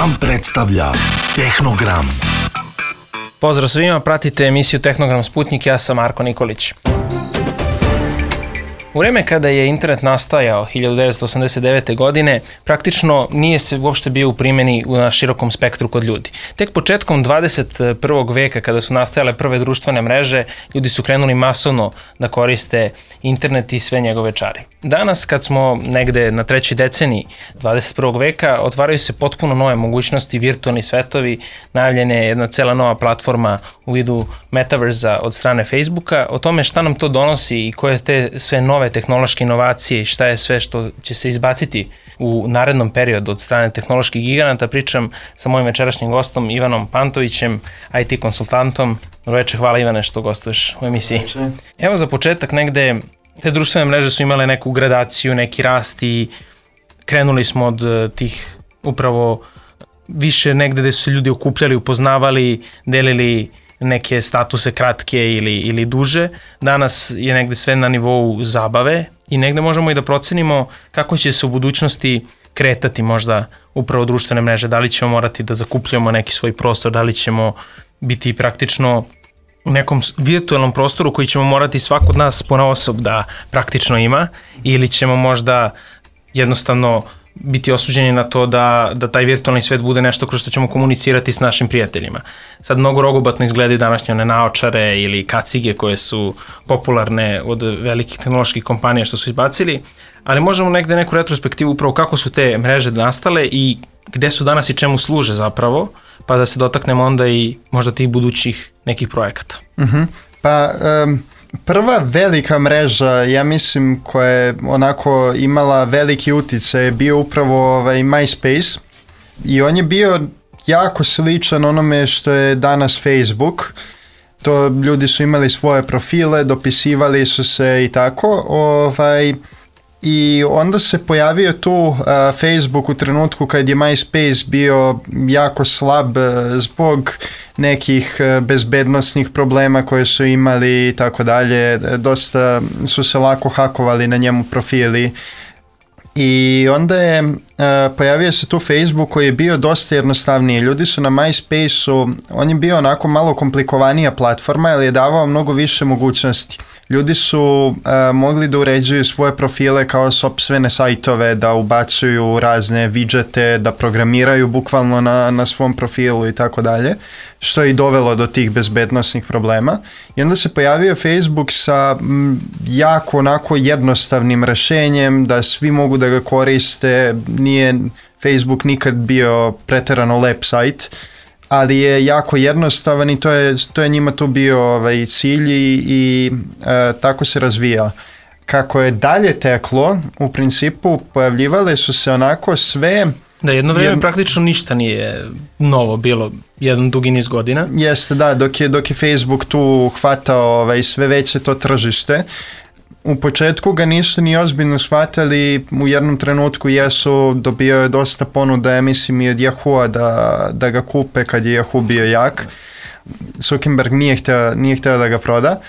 Gram predstavlja Tehnogram. Pozdrav svima, pratite emisiju Tehnogram Sputnik, ja sam Marko Nikolić. U vreme kada je internet nastajao 1989. godine, praktično nije se uopšte bio u primjeni na širokom spektru kod ljudi. Tek početkom 21. veka, kada su nastajale prve društvene mreže, ljudi su krenuli masovno da koriste internet i sve njegove čari. Danas, kad smo negde na trećoj deceniji 21. veka, otvaraju se potpuno nove mogućnosti, virtualni svetovi, najavljena je jedna cela nova platforma u vidu metaverza od strane Facebooka. O tome šta nam to donosi i koje te sve nove tehnološke inovacije i šta je sve što će se izbaciti u narednom periodu od strane tehnoloških giganata, pričam sa mojim večerašnjim gostom Ivanom Pantovićem, IT konsultantom. Dobro večer, hvala Ivane što gostuješ u emisiji. Evo za početak negde, te društvene mreže su imale neku gradaciju, neki rast i krenuli smo od tih upravo više negde gde su se ljudi okupljali, upoznavali, delili neke statuse kratke ili duže. Danas je negde sve na nivou zabave i negde možemo i da procenimo kako će se u budućnosti kretati možda upravo društvene mreže. Da li ćemo morati da zakupljamo neki svoj prostor, da li ćemo biti praktično u nekom virtualnom prostoru koji ćemo morati svako od nas ponaosob da praktično ima, ili ćemo možda jednostavno biti osuđeni na to da taj virtualni svet bude nešto kroz što ćemo komunicirati s našim prijateljima. Sad mnogo rogobatno izgledaju današnje one naočare ili kacige koje su popularne od velikih tehnoloških kompanija što su izbacili, ali možemo negde neku retrospektivu upravo kako su te mreže nastale i gde su danas i čemu služe zapravo, pa da se dotaknemo onda i možda tih budućih nekih projekata. Prva velika mreža, ja mislim, koja je onako imala veliki uticaj je bio upravo MySpace i on je bio jako sličan onome što je danas Facebook. To ljudi su imali svoje profile, dopisivali su se i tako. I onda se pojavio tu Facebook u trenutku kad je MySpace bio jako slab zbog nekih bezbednosnih problema koje su imali i tako dalje. Dosta su se lako hakovali na njemu profili. I onda je pojavio se tu Facebook koji je bio dosta jednostavniji. Ljudi su na MySpace-u, on je bio onako malo komplikovanija platforma jer je davao mnogo više mogućnosti. Ljudi su mogli da uređuju svoje profile kao sopstvene sajtove, da ubacuju razne widgete, da programiraju bukvalno na svom profilu i tako dalje, što je i dovelo do tih bezbednosnih problema. I onda se pojavio Facebook sa jako onako jednostavnim rešenjem da svi mogu da ga koriste. Nije Facebook nikad bio preterano lep sajt, ali je jako jednostavan i to je njima tu bio cilj i tako se razvija. Kako je dalje teklo, u principu pojavljivale su se onako sve... Da, jedno vreme praktično ništa nije novo bilo, jedan dugi niz godina. Jeste, da, dok je Facebook tu hvatao sve veće to tržište. U početku ga nisu ni ozbiljno shvatali, u jednom trenutku dobio je dosta ponuda, ja mislim i od Yahoo-a da ga kupe kad je Yahoo bio jak. Zuckerberg nije htio da ga proda.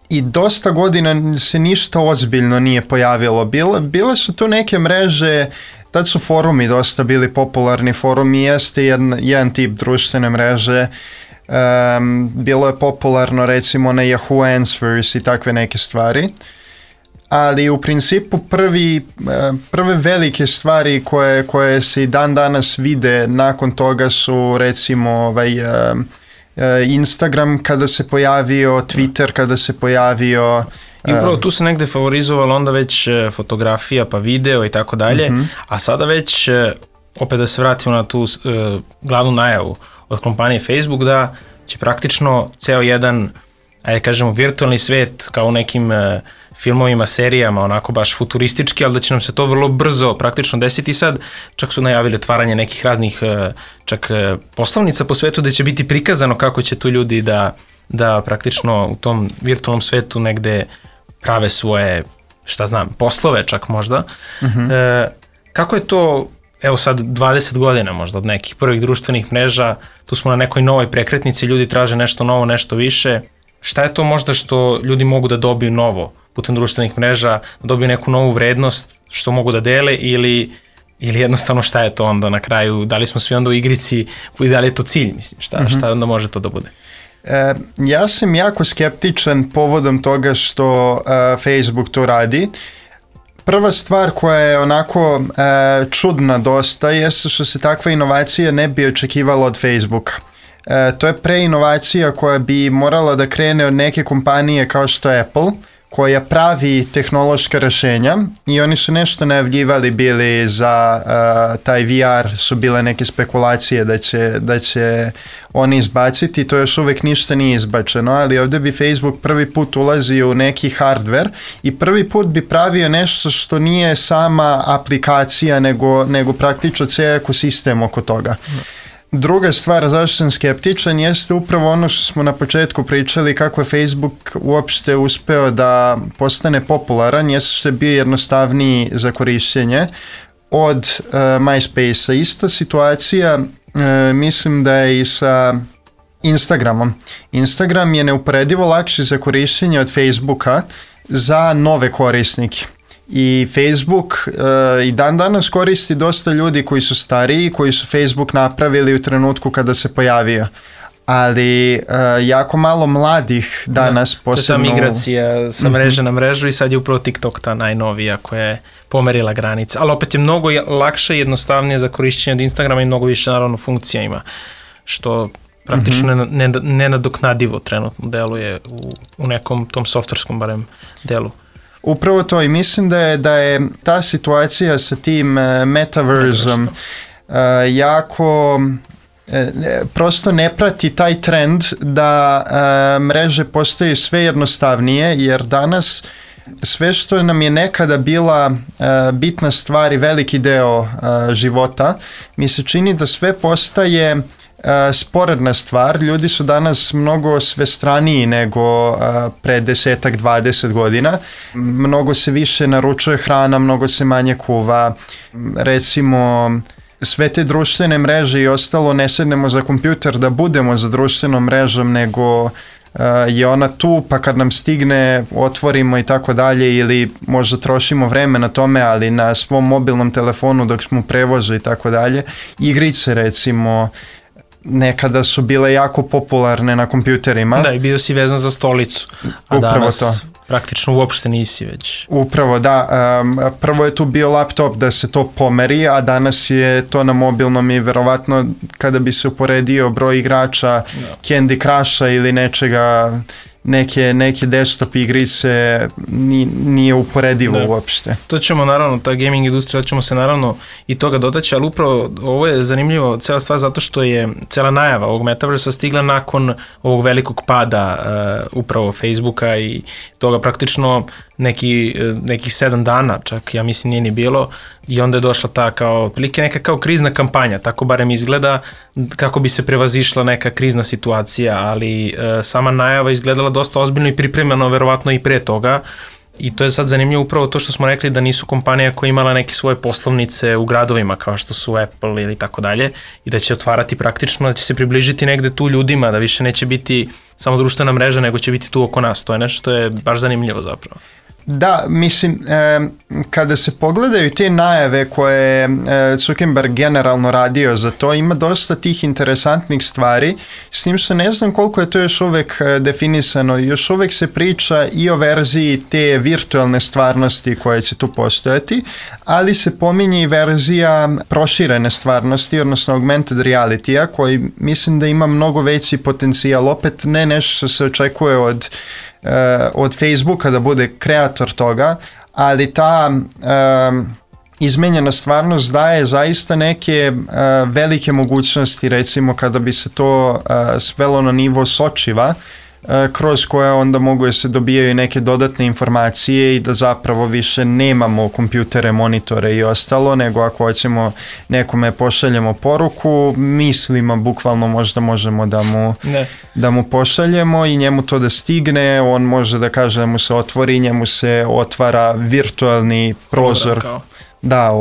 I dosta godina se ništa ozbiljno nije pojavilo. Bile su tu neke mreže, tad su forumi dosta bili popularni, forumi jeste jedan tip društvene mreže. Bilo je popularno recimo na Yahoo Answers i takve neke stvari, ali u principu prve velike stvari koje se i dan danas vide nakon toga su recimo Instagram kada se pojavio, Twitter kada se pojavio. I upravo tu se negde favorizovalo onda već fotografija pa video i tako dalje, a sada već opet da se vratimo na tu glavnu najavu od kompanije Facebook da će praktično ceo jedan, ajde kažemo, virtualni svet kao u nekim filmovima, serijama, onako baš futuristički, ali da će nam se to vrlo brzo praktično desiti. Sad čak su najavili otvaranje nekih raznih čak poslovnica po svetu gde će biti prikazano kako će tu ljudi da praktično u tom virtualnom svetu negde prave svoje, poslove čak možda. Kako je to, evo sad 20 godina možda od nekih prvih društvenih mreža, tu smo na nekoj novoj prekretnici, ljudi traže nešto novo, nešto više. Šta je to možda što ljudi mogu da dobiju novo putem društvenih mreža, da dobiju neku novu vrednost što mogu da dele ili Ili jednostavno šta je to onda na kraju, da li smo svi onda u igrici i da li je to cilj, mislim, šta onda može to da bude? Ja sam jako skeptičan povodom toga što Facebook to radi. Prva stvar koja je onako čudna dosta je što se takva inovacija ne bi očekivala od Facebooka. To je preinovacija koja bi morala da krene od neke kompanije kao što je Apple, koja pravi tehnološka rešenja i oni su nešto najavljivali bili za taj VR, su bile neke spekulacije da će oni izbaciti, to još uvek ništa nije izbačeno, ali ovdje bi Facebook prvi put ulazio u neki hardware i prvi put bi pravio nešto što nije sama aplikacija nego praktično cijel ekosistem oko toga. Druga stvar zašto sam skeptičan jeste upravo ono što smo na početku pričali kako je Facebook uopšte uspeo da postane popularan, jeste što je bio jednostavniji za korišćenje od MySpace-a. Ista situacija mislim da je i sa Instagramom. Instagram je neuporedivo lakši za korišćenje od Facebooka za nove korisnike. I Facebook i dan danas koristi dosta ljudi koji su stariji, koji su Facebook napravili u trenutku kada se pojavio. Ali jako malo mladih danas posebno... To je ta migracija sa mreže na mrežu i sad je upravo TikTok ta najnovija koja je pomerila granice. Ali opet je mnogo lakše i jednostavnije za korišćenje od Instagrama i mnogo više naravno funkcija ima, što praktično nenadoknadivo trenutno deluje u nekom tom softverskom barem delu. Upravo to i mislim da je ta situacija sa tim metaversom jako prosto ne prati taj trend da mreže postaju sve jednostavnije, jer danas sve što nam je nekada bila bitna stvar i veliki deo života, mi se čini da sve postaje sporedna stvar. Ljudi su danas mnogo svestraniji nego pre 10-20 godina. Mnogo se više naručuje hrana, mnogo se manje kuva. Recimo, sve te društvene mreže i ostalo ne sednemo za kompjuter da budemo za društvenom mrežom, nego je ona tu, pa kad nam stigne otvorimo i tako dalje, ili možda trošimo vreme na tome, ali na svom mobilnom telefonu dok smo u prevozu i tako dalje. Igrice recimo nekada su bile jako popularne na kompjuterima. Da, i bio si vezan za stolicu, a upravo danas to. Praktično uopšte nisi već. Upravo, da. Prvo je tu bio laptop da se to pomeri, a danas je to na mobilnom i verovatno kada bi se uporedio broj igrača Candy Crusha ili nečega, neke desktop igrice nije uporedivo uopšte. To ćemo naravno, ta gaming industrija, ćemo se naravno i toga dotaći, ali upravo ovo je zanimljivo cela stvar zato što je cela najava ovog metaversa stigla nakon ovog velikog pada upravo Facebooka i toga praktično nekih 7 dana, čak ja mislim nije ni bilo, i onda je došla ta kao neka kao krizna kampanja, tako barem izgleda, kako bi se prevazišla neka krizna situacija, ali sama najava izgledala dosta ozbiljno i pripremljeno verovatno i pre toga. I to je sad zanimljivo upravo to što smo rekli da nisu kompanija koja imala neke svoje poslovnice u gradovima kao što su Apple ili tako dalje i da će otvarati praktično, da će se približiti negde tu ljudima, da više neće biti samo društvena mreža, nego će biti tu oko nas. To je nešto što je baš zanimljivo zapravo. Da, mislim, kada se pogledaju te najave koje je Zuckerberg generalno radio za to, ima dosta tih interesantnih stvari, s tim što ne znam koliko je to još uvek definisano. Još uvek se priča i o verziji te virtualne stvarnosti koja će tu postojati, ali se pominje i verzija proširene stvarnosti, odnosno augmented reality-a, koji mislim da ima mnogo veći potencijal. Opet ne nešto što se očekuje od Facebooka da bude kreator toga, ali ta izmenjena stvarnost daje zaista neke velike mogućnosti, recimo kada bi se to svelo na nivo sočiva, kroz koje onda mogu da se dobijaju neke dodatne informacije i da zapravo više nemamo kompjutere, monitore i ostalo, nego ako hoćemo nekome pošaljemo poruku, mislima bukvalno možda možemo da mu pošaljemo i njemu to da stigne, on može da kaže da mu se otvori, njemu se otvara virtualni prozor. Da,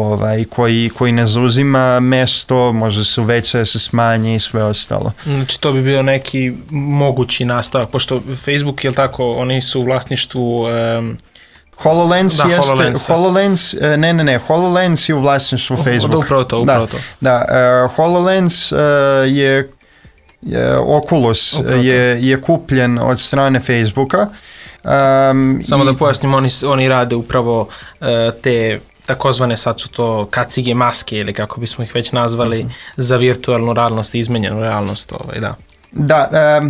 koji ne zauzima mesto, može se uveća, se smanji i sve ostalo. Znači to bi bio neki mogući nastavak, pošto Facebook, je li tako, oni su u vlasništvu HoloLens da, jeste, HoloLens, HoloLens je u vlasništvu Facebooka. Upravo to. Da, HoloLens je Oculus je kupljen od strane Facebooka. Samo da pojasnim, oni rade upravo te takozvane, sad su to kacige maske ili kako bismo ih već nazvali, za virtualnu realnost i izmenjenu realnost. Da. Da,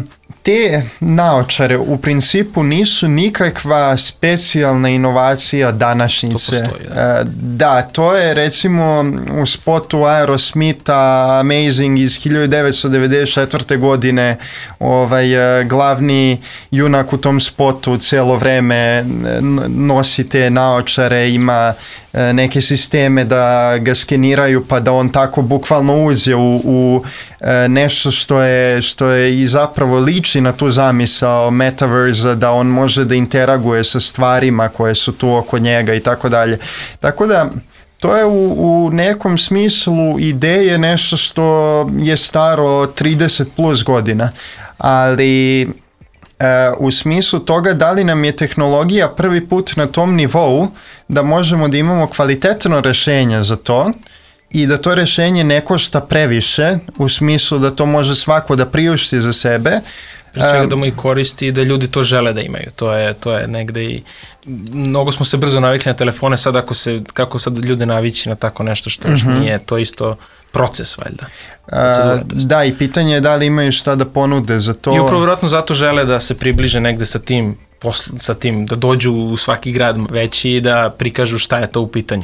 te naočare u principu nisu nikakva specijalna inovacija današnjice. To postoji, da, to je recimo u spotu Aerosmitha Amazing iz 1994. godine glavni junak u tom spotu cijelo vreme nosi te naočare, ima neke sisteme da ga skeniraju pa da on tako bukvalno uđe u nešto što je i zapravo liči na tu zamisao metaversa, da on može da interaguje sa stvarima koje su tu oko njega i tako dalje. Tako da to je u nekom smislu ideje nešto što je staro 30 plus godina, ali u smislu toga da li nam je tehnologija prvi put na tom nivou da možemo da imamo kvalitetno rješenje za to i da to rješenje ne košta previše, u smislu da to može svako da priušti za sebe. Pre svega da mu i koristi i da ljudi to žele da imaju. To je negde i mnogo smo se brzo navikli na telefone, sad kako sad ljude navići na tako nešto što još nije, to isto proces valjda. Da, i pitanje je da li imaju šta da ponude za to. I upravo vjerojatno zato žele da se približe negde sa tim, da dođu u svaki grad veći i da prikažu šta je to u pitanju.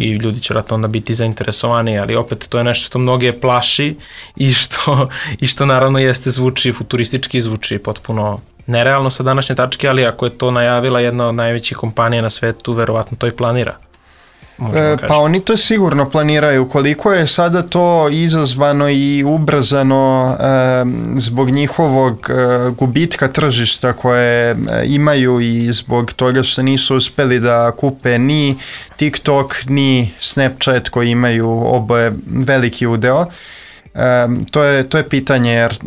I ljudi će vjerojatno onda biti zainteresovani, ali opet to je nešto što mnoge plaši i što naravno zvuči futuristički, zvuči potpuno nerealno sa današnje tačke, ali ako je to najavila jedna od najvećih kompanija na svetu, verovatno to i planira. Pa oni to sigurno planiraju. Koliko je sada to izazvano i ubrzano zbog njihovog gubitka tržišta koje imaju i zbog toga što nisu uspeli da kupe ni TikTok ni Snapchat koji imaju oboje veliki udeo. To je pitanje, jer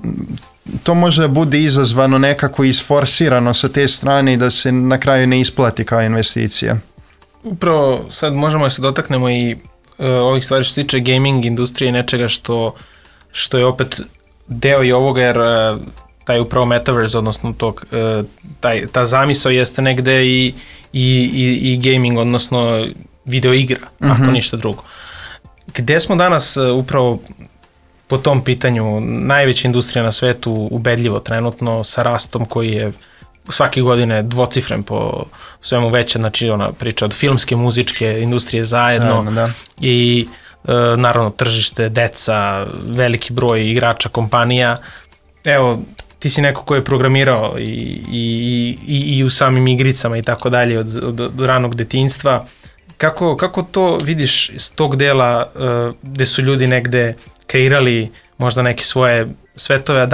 to može da bude izazvano nekako isforsirano sa te strane i da se na kraju ne isplati kao investicija. Upravo sad možemo da se dotaknemo i ovih stvari što se tiče gaming industrije, nečega što je opet deo i ovoga, jer taj upravo metaverse, odnosno ta zamisao jeste negde i gaming, odnosno video igra, ako ništa drugo. Gde smo danas upravo po tom pitanju? Najveća industrija na svetu, ubedljivo trenutno, sa rastom koji je svake godine dvocifren po svemu veće, znači ona priča od filmske, muzičke industrije zajedno i naravno tržište, deca, veliki broj igrača, kompanija. Evo, ti si neko ko je programirao i u samim igricama i tako dalje od ranog detinjstva. Kako to vidiš iz tog dela gde su ljudi negde kreirali možda neke svoje svetove, a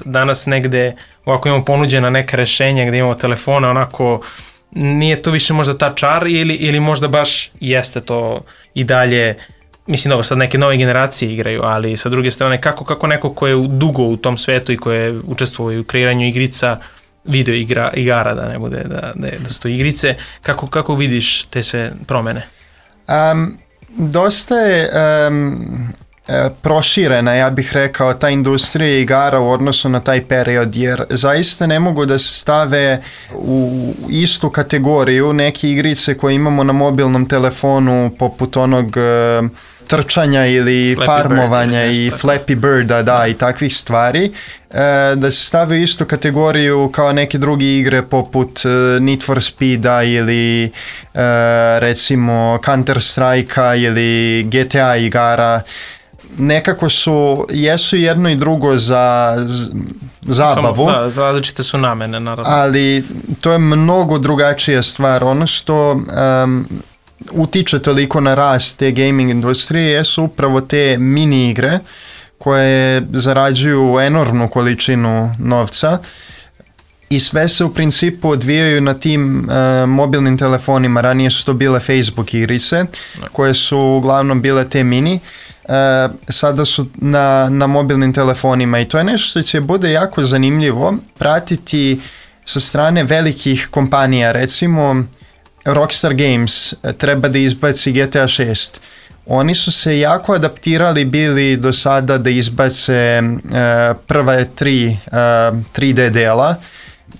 danas negde ovako imamo ponuđena neka rešenja gde imamo telefone, onako nije to više možda ta čar ili možda baš jeste to i dalje, mislim dobro sad neke nove generacije igraju, ali sa druge strane kako neko ko je dugo u tom svetu i ko je učestvovao u kreiranju igrica, video igara, da ne bude da su to igrice, kako vidiš te sve promene? Dosta je proširena, ja bih rekao, ta industrija igara u odnosu na taj period, jer zaista ne mogu da se stave u istu kategoriju neke igrice koje imamo na mobilnom telefonu poput onog trčanja ili Flappy farmovanja Bird, i Flappy Birda, i takvih stvari, da se stave u istu kategoriju kao neke druge igre poput Need for Speeda ili recimo Counter Strike-a ili GTA igara. Nekako jesu jedno i drugo za zabavu. Za različite su namene, naravno. Ali to je mnogo drugačija stvar. Ono što utiče toliko na rast te gaming industrije jesu upravo te mini igre koje zarađuju enormnu količinu novca i sve se u principu odvijaju na tim mobilnim telefonima. Ranije su to bile Facebook igrice koje su uglavnom bile te mini. Sada su na mobilnim telefonima i to je nešto što će bude jako zanimljivo pratiti sa strane velikih kompanija. Recimo Rockstar Games treba da izbaci GTA 6. Oni su se jako adaptirali bili do sada da izbace prva 3D dela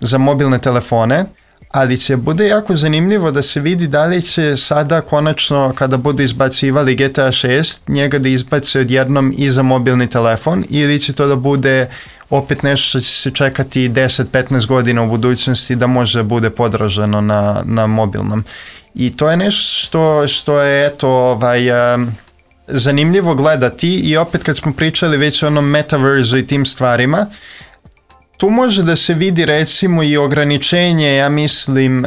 za mobilne telefone, ali će bude jako zanimljivo da se vidi da li će sada konačno kada budu izbacivali GTA 6 njega da izbace odjednom i za mobilni telefon ili će to da bude opet nešto što će se čekati 10-15 godina u budućnosti da može bude podraženo na mobilnom. I to je nešto što je eto zanimljivo gledati i opet kad smo pričali već o onom metaverzu i tim stvarima, tu može da se vidi recimo i ograničenje, ja mislim,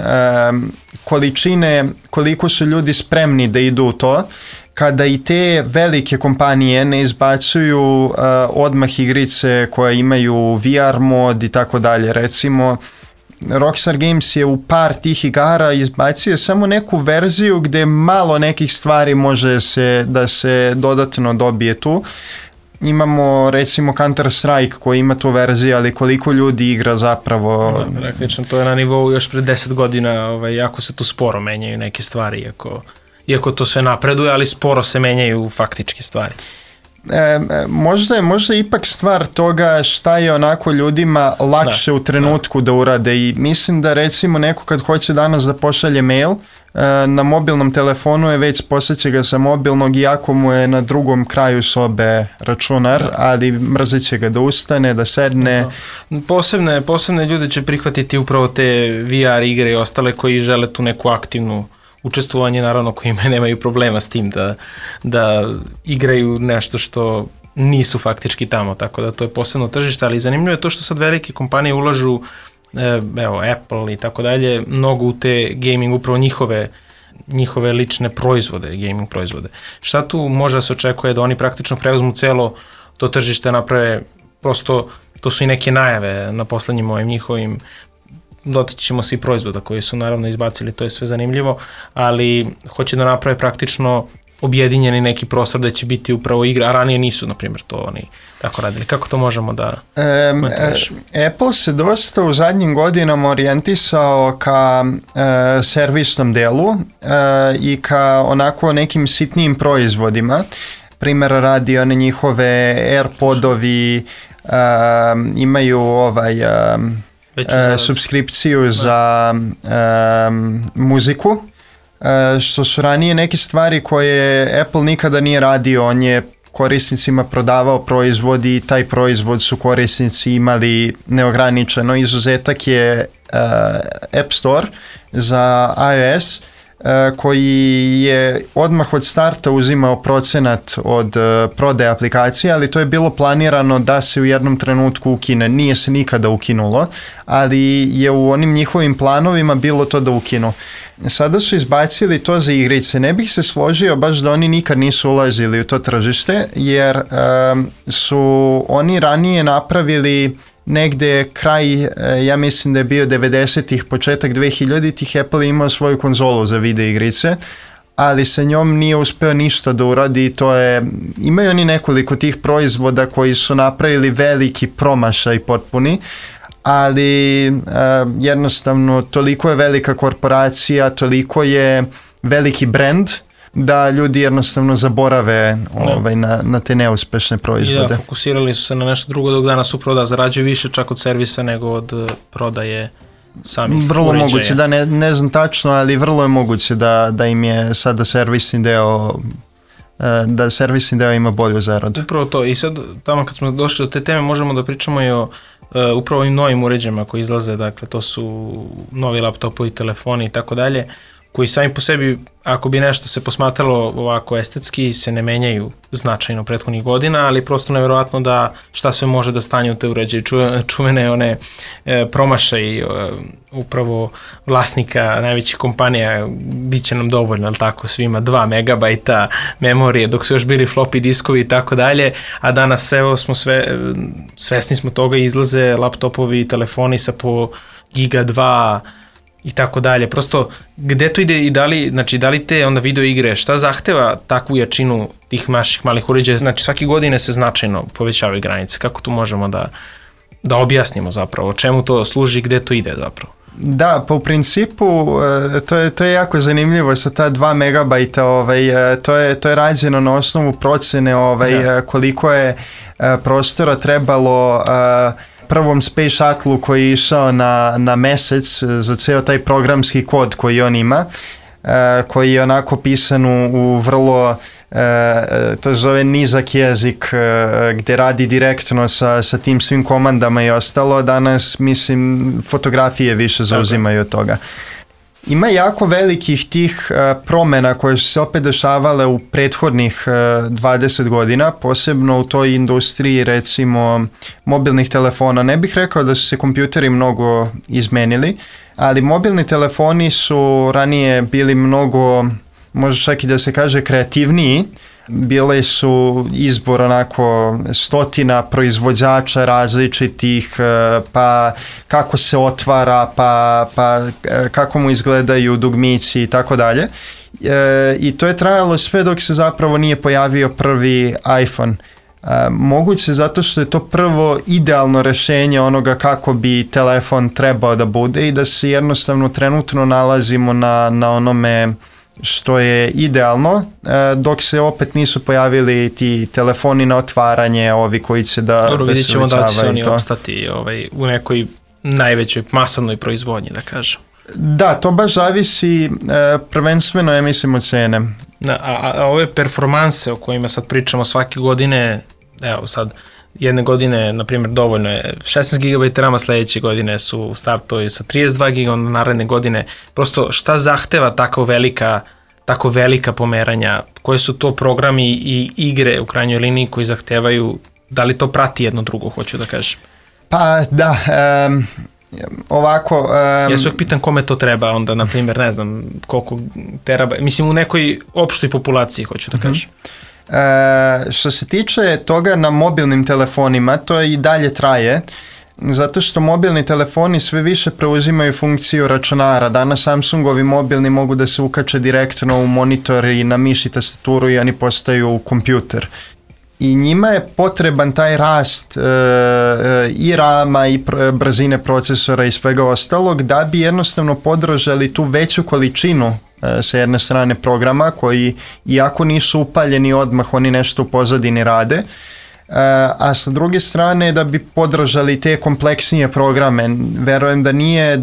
količine, koliko su ljudi spremni da idu u to, kada i te velike kompanije ne izbacuju odmah igrice koje imaju VR mod i tako dalje. Recimo, Rockstar Games je u par tih igara izbacio samo neku verziju gde malo nekih stvari može da se dodatno dobije tu. Imamo recimo Counter-Strike koji ima tu verziju, ali koliko ljudi igra zapravo... Praktično to je na nivou još pred 10 godina, jako se tu sporo menjaju neke stvari, iako to sve napreduje, ali sporo se menjaju faktičke stvari. Možda je ipak stvar toga šta je onako ljudima lakše u trenutku da urade i mislim da recimo neko kad hoće danas da pošalje mail na mobilnom telefonu je već posjeće ga sa mobilnog iako mu je na drugom kraju sobe računar, ali mrzit će ga da ustane, da sedne. Posebne ljude će prihvatiti upravo te VR igre i ostale koji žele tu neku aktivnu učestvovanje, naravno koji nemaju problema s tim da igraju nešto što nisu faktički tamo, tako da to je posebno tržište, ali zanimljivo je to što sad velike kompanije ulažu, evo Apple i tako dalje, mnogo u te gaming, upravo njihove lične proizvode, gaming proizvode. Šta tu može da se očekuje da oni praktično preuzmu celo to tržište, naprave, prosto to su i neke najave na poslednjim ovim njihovim, dotaći ćemo se i proizvoda koji su naravno izbacili, to je sve zanimljivo, ali hoće da naprave praktično objedinjeni neki prostor da će biti upravo igra, a ranije nisu, na primjer, to oni tako radili. Kako to možemo da Apple se dosta u zadnjim godinama orijentisao ka servisnom delu i ka onako nekim sitnijim proizvodima. Primjera radi one njihove AirPodovi, imaju subskripciju za muziku, što su ranije neke stvari koje Apple nikada nije radio. On je korisnicima prodavao proizvod i taj proizvod su korisnici imali neograničeno. Izuzetak je App Store za iOS koji je odmah od starta uzimao procenat od prodaje aplikacije, ali to je bilo planirano da se u jednom trenutku ukine. Nije se nikada ukinulo, ali je u onim njihovim planovima bilo to da ukinu. Sada su izbacili to za igrice. Ne bih se složio baš da oni nikad nisu ulazili u to tržište, jer su oni ranije napravili negde kraj, ja mislim da je bio 90-ih, početak 2000-ih, Apple imao svoju konzolu za video igrice, ali sa njom nije uspeo ništa da uradi. Imaju oni nekoliko tih proizvoda koji su napravili veliki promašaj potpuni, ali jednostavno toliko je velika korporacija, toliko je veliki brand da ljudi jednostavno zaborave na te neuspešne proizvode. Da, fokusirali su se na nešto drugo, dok danas upravo zarađuju više čak od servisa nego od prodaje samih vrlo uređaja. Moguće, da ne znam tačno, ali vrlo je moguće da im je sada servisni deo ima bolju zaradu. Upravo to, i sad tamo kad smo došli do te teme možemo da pričamo i o upravo ovim novim uređajima koji izlaze, dakle to su novi laptopovi, telefoni i tako dalje, koji sami po sebi, ako bi nešto se posmatralo ovako estetski, se ne menjaju značajno prethodnih godina, ali prosto nevjerovatno da šta sve može da stanje u te uređaje. Čuvene one promašaj upravo vlasnika najvećih kompanija, bit će nam dovoljno, ali tako, svima 2 megabajta memorije, dok su još bili floppy diskovi i tako dalje, a danas evo smo svesni smo toga, izlaze laptopovi i telefoni sa po giga 2 i tako dalje. Prosto, gde to ide i da li te onda video igre, šta zahteva takvu jačinu tih naših malih uređaja? Znači, svake godine se značajno povećavaju granice. Kako tu možemo da objasnimo zapravo? Čemu to služi, gde to ide zapravo? Da, pa u principu to je jako zanimljivo sa ta 2 megabajta, to je rađeno na osnovu procene koliko je prostora trebalo prvom Space Shuttle koji je išao na mesec za ceo taj programski kod koji on ima, koji je onako pisan u vrlo to zove nizak jezik gde radi direktno sa tim svim komandama i ostalo. Danas mislim fotografije više zauzimaju od toga. Ima jako velikih tih promena koje su se opet dešavale u prethodnih 20 godina, posebno u toj industriji recimo mobilnih telefona. Ne bih rekao da su se kompjuteri mnogo izmenili, ali mobilni telefoni su ranije bili mnogo, možda čak i da se kaže, kreativniji. Bile su izbor onako stotina proizvođača različitih, pa kako se otvara, pa kako mu izgledaju dugmići i tako dalje. I to je trajalo sve dok se zapravo nije pojavio prvi iPhone. Moguće zato što je to prvo idealno rešenje onoga kako bi telefon trebao da bude i da se jednostavno trenutno nalazimo na onome što je idealno, dok se opet nisu pojavili ti telefoni na otvaranje, ovi koji će da Dobro, vidjet ćemo da će se oni to opstati u nekoj najvećoj masovnoj proizvodnji, da kažem. Da, to baš zavisi prvenstveno, ja mislim, od cene. A ove performanse o kojima sad pričamo svake godine, evo sad, jedne godine, na primjer, dovoljno je 16 GB rama, sledeće godine su startuju sa 32 GB, onda naredne godine. Prosto šta zahteva tako velika pomeranja? Koje su to programi i igre u krajnjoj liniji koji zahtevaju, da li to prati jedno drugo, hoću da kažem? Pa da, ovako... Ja se uvijek pitam kome to treba, onda, na primjer, ne znam koliko terabajta, mislim u nekoj opštoj populaciji, hoću da kažem. Što se tiče toga na mobilnim telefonima, to i dalje traje, zato što mobilni telefoni sve više preuzimaju funkciju računara. Danas Samsungovi mobilni mogu da se ukače direktno u monitor i na miš i tastaturu i oni postaju kompjuter. I njima je potreban taj rast i rama i brzine procesora i svega ostalog da bi jednostavno podržali tu veću količinu sa jedne strane programa koji, iako nisu upaljeni odmah, oni nešto u pozadini rade, a sa druge strane da bi podržali te kompleksnije programe. Verujem da nije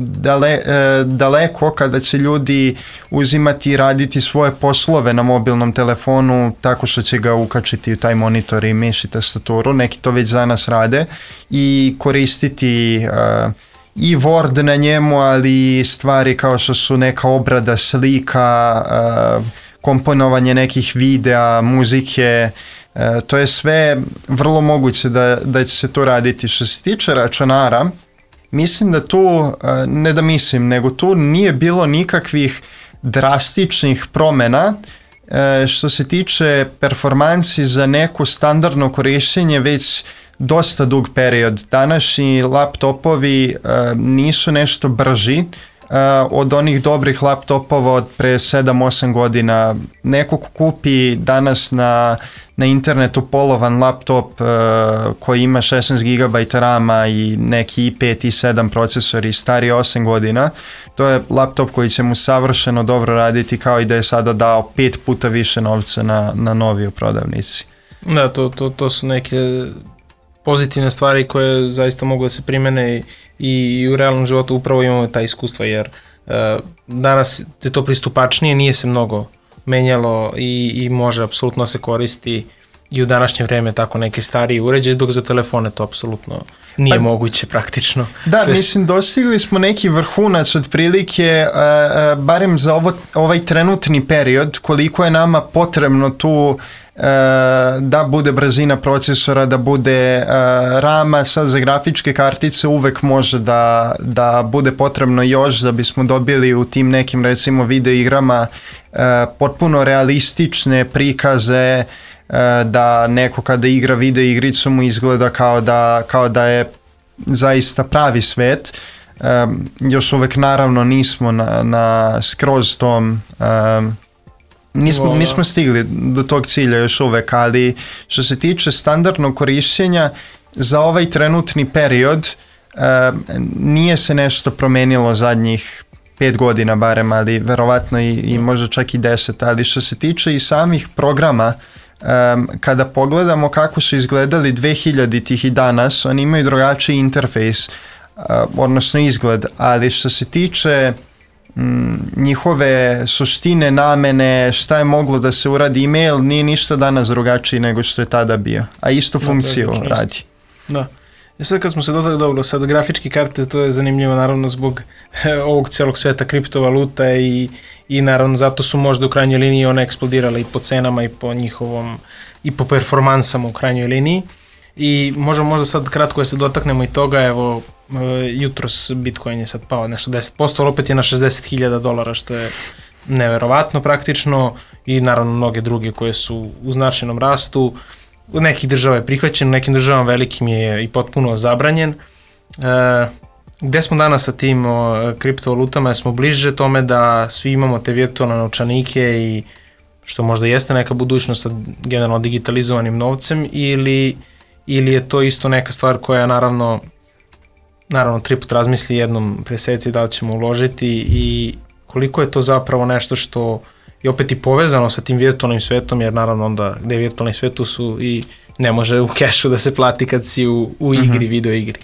daleko kada će ljudi uzimati i raditi svoje poslove na mobilnom telefonu tako što će ga ukačiti u taj monitor i miš i tastaturu. Neki to već za nas rade i koristiti i Word na njemu, ali stvari kao što su neka obrada slika, komponovanje nekih videa, muzike, to je sve vrlo moguće da će se to raditi. Što se tiče računara, mislim da tu, ne da mislim, nego tu nije bilo nikakvih drastičnih promjena što se tiče performansi za neko standardno korištenje već dosta dug period. Današnji laptopovi nisu nešto brži od onih dobrih laptopova od pre 7-8 godina. Neko ko kupi danas na internetu polovan laptop koji ima 16 GB rama i neki i5 i 7 procesori stari 8 godina, to je laptop koji će mu savršeno dobro raditi kao i da je sada dao 5 puta više novca na novi u prodavnici. Da, to su neke pozitivne stvari koje zaista mogu da se primene i u realnom životu upravo imamo ta iskustva, jer danas je to pristupačnije, nije se mnogo menjalo i može apsolutno se koristi i u današnje vreme tako neke starije uređaje, dok za telefone to apsolutno nije moguće praktično. Da, mislim, dostigli smo neki vrhunac otprilike, barem za ovaj trenutni period, koliko je nama potrebno tu da bude brzina procesora, da bude rama. Sad za grafičke kartice uvek može da bude potrebno još da bismo dobili u tim nekim recimo video igrama potpuno realistične prikaze, da neko kada igra video igricu mu izgleda kao da je zaista pravi svet. Još uvek naravno nismo na skroz tom nismo stigli do tog cilja još uvek, ali što se tiče standardnog korišćenja za ovaj trenutni period nije se nešto promenilo zadnjih 5 godina barem, ali verovatno i možda čak i 10, ali što se tiče i samih programa, kada pogledamo kako su izgledali 2000-ih i danas, oni imaju drugačiji interfejs, odnosno izgled, ali što se tiče njihove suštine, namene, šta je moglo da se uradi, email nije ništa danas drugačiji nego što je tada bio, a istu funkciju radi. Da. I sad kad smo se dotakli sad grafičke karte, to je zanimljivo naravno zbog ovog celog sveta kriptovaluta i naravno zato su možda u krajnjoj liniji one eksplodirale i po cenama i po njihovom i po performansama u krajnjoj liniji. I možda sad kratko da se dotaknemo i toga, evo jutros Bitcoin je sad pao nešto 10%, ali opet je na $60,000 što je neverovatno praktično i naravno mnoge druge koje su u značajnom rastu. U nekih država je prihvaćen, u nekim državama velikim je i potpuno zabranjen. Gde smo danas sa tim kriptovalutama? Smo bliže tome da svi imamo te virtualne novčanike i što možda jeste neka budućnost sa generalno digitalizovanim novcem ili je to isto neka stvar koja naravno 3 put razmisli jednom preseci da li ćemo uložiti i koliko je to zapravo nešto što je opet i povezano sa tim virtualnim svetom, jer naravno onda gde je virtualni svetu su i ne može u kešu da se plati kad si u igri, video igri.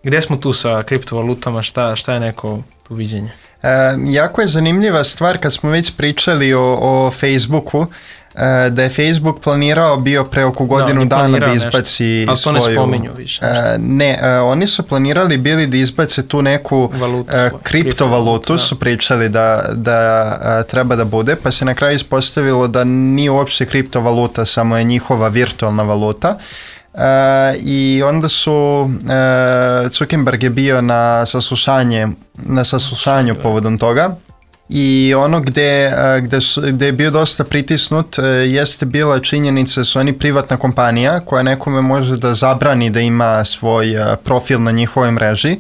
Gde smo tu sa kriptovalutama, šta je neko tu viđenje? Jako je zanimljiva stvar kad smo već pričali o Facebooku, da je Facebook planirao bio pre oko godinu dana da izbaci ali to ne spominju više. Oni su planirali bili da izbace tu neku kriptovalutu, su pričali da treba da bude, pa se na kraju ispostavilo da nije uopšte kriptovaluta, samo je njihova virtualna valuta. I onda su Zuckerberg je bio na saslušanju povodom toga i ono gde je bio dosta pritisnut jeste bila činjenica da su oni privatna kompanija koja nekome može da zabrani da ima svoj profil na njihovoj mreži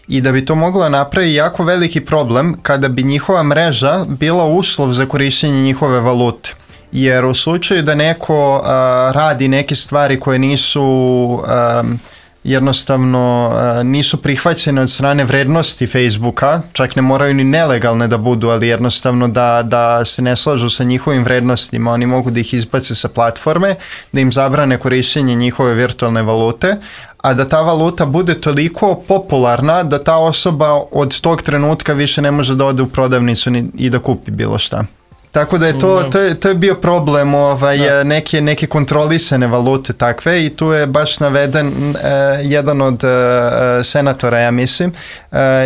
i da bi to moglo napraviti jako veliki problem kada bi njihova mreža bila uslov za korištenje njihove valute. Jer u slučaju da neko radi neke stvari koje nisu jednostavno nisu prihvaćene od strane vrednosti Facebooka, čak ne moraju ni nelegalne da budu, ali jednostavno da se ne slažu sa njihovim vrednostima, oni mogu da ih izbace sa platforme, da im zabrane korištenje njihove virtualne valute, a da ta valuta bude toliko popularna da ta osoba od tog trenutka više ne može da ode u prodavnicu i da kupi bilo šta. Tako da je to je bio problem neke kontrolisane valute takve i tu je baš naveden jedan od senatora, ja mislim,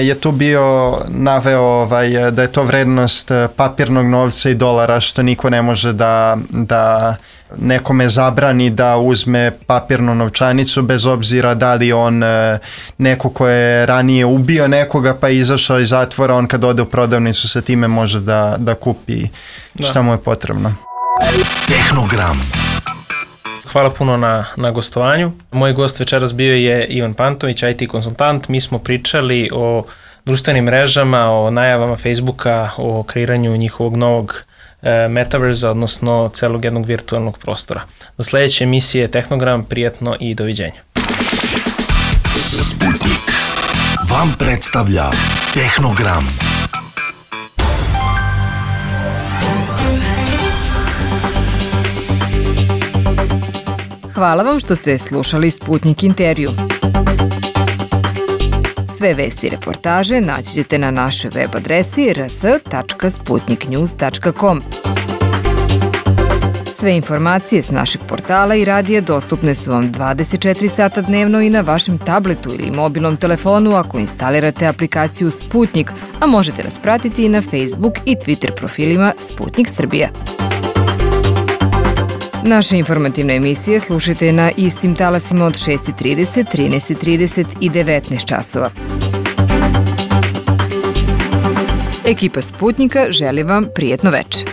je tu bio naveo da je to vrednost papirnog novca i dolara, što niko ne može da nekome zabrani da uzme papirnu novčanicu bez obzira da li on neko ko je ranije ubio nekoga pa je izašao iz zatvora, on kad ode u prodavnicu sa time može da kupi šta mu je potrebno. Tehnogram. Hvala puno na gostovanju. Moj gost večeras bio je Ivan Pantović, IT konsultant. Mi smo pričali o društvenim mrežama, o najavama Facebooka, o kreiranju njihovog novog metaverza, odnosno celog jednog virtualnog prostora. Do sledeće emisije Tehnogram, prijatno i doviđenja. Sputnik vam predstavlja Tehnogram. Hvala vam što ste slušali Sputnik intervju. Sve vesti i reportaže naći ćete na našoj web adresi rs.sputniknews.com. Sve informacije s našeg portala i radija dostupne su vam 24 sata dnevno i na vašem tabletu ili mobilnom telefonu ako instalirate aplikaciju Sputnik, a možete nas pratiti i na Facebook i Twitter profilima Sputnik Srbija. Naše informativne emisije slušajte na istim talasima od 6:30, 13:30 i 19 časova. Ekipa Sputnika želi vam prijetno veče.